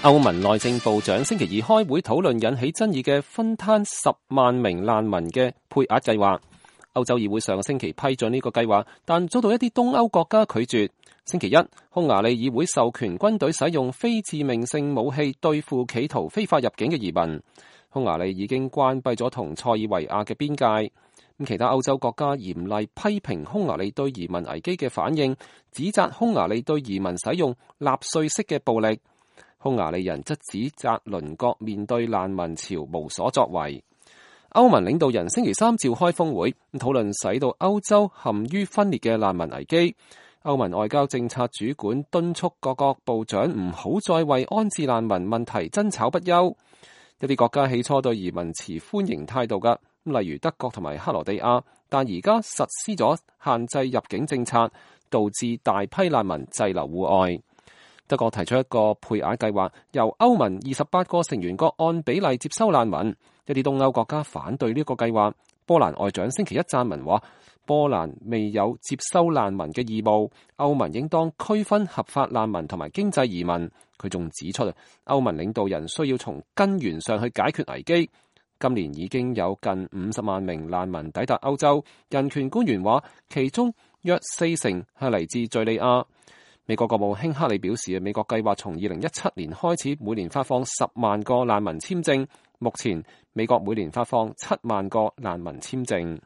歐盟內政部長星期二開會討論引起爭議嘅分攤10萬名難民嘅配額計劃。歐洲議會上個星期批准呢個計劃，但遭到一啲東歐國家拒絕。星期一，匈牙利議會授權軍隊使用非致命性武器對付企圖非法入境嘅移民。匈牙利已經關閉咗同塞爾維亞嘅邊界。其他歐洲國家嚴厲批評匈牙利對移民危機嘅反應，指責匈牙利對移民使用納粹式嘅暴力。匈牙利人則指責鄰國面對難民潮無所作為。歐盟領導人星期三召開峰會，討論使到歐洲陷於分裂嘅難民危機。歐盟外交政策主管敦促各國部長唔好再為安置難民問題爭吵不休。一啲國家起初對移民持歡迎態度㗎，例如德國同埋克羅地亞，但而家實施咗限制入境政策，導致大批難民滯留戶外。德國提出一個配額計劃，由歐盟28個成員國按比例接收難民。一啲東歐國家反對呢個計劃。波蘭外長星期一撰文話，波蘭未有接收難民嘅義務，歐盟應當區分合法難民同埋經濟移民。佢仲指出，歐盟領導人需要從根源上去解決危機。今年已經有近50萬名難民抵達歐洲，人權官員話，其中約40%係嚟自敘利亞。美國國務卿克里表示，美國計劃從2017年開始每年發放10萬個難民簽證，目前美國每年發放7萬個難民簽證。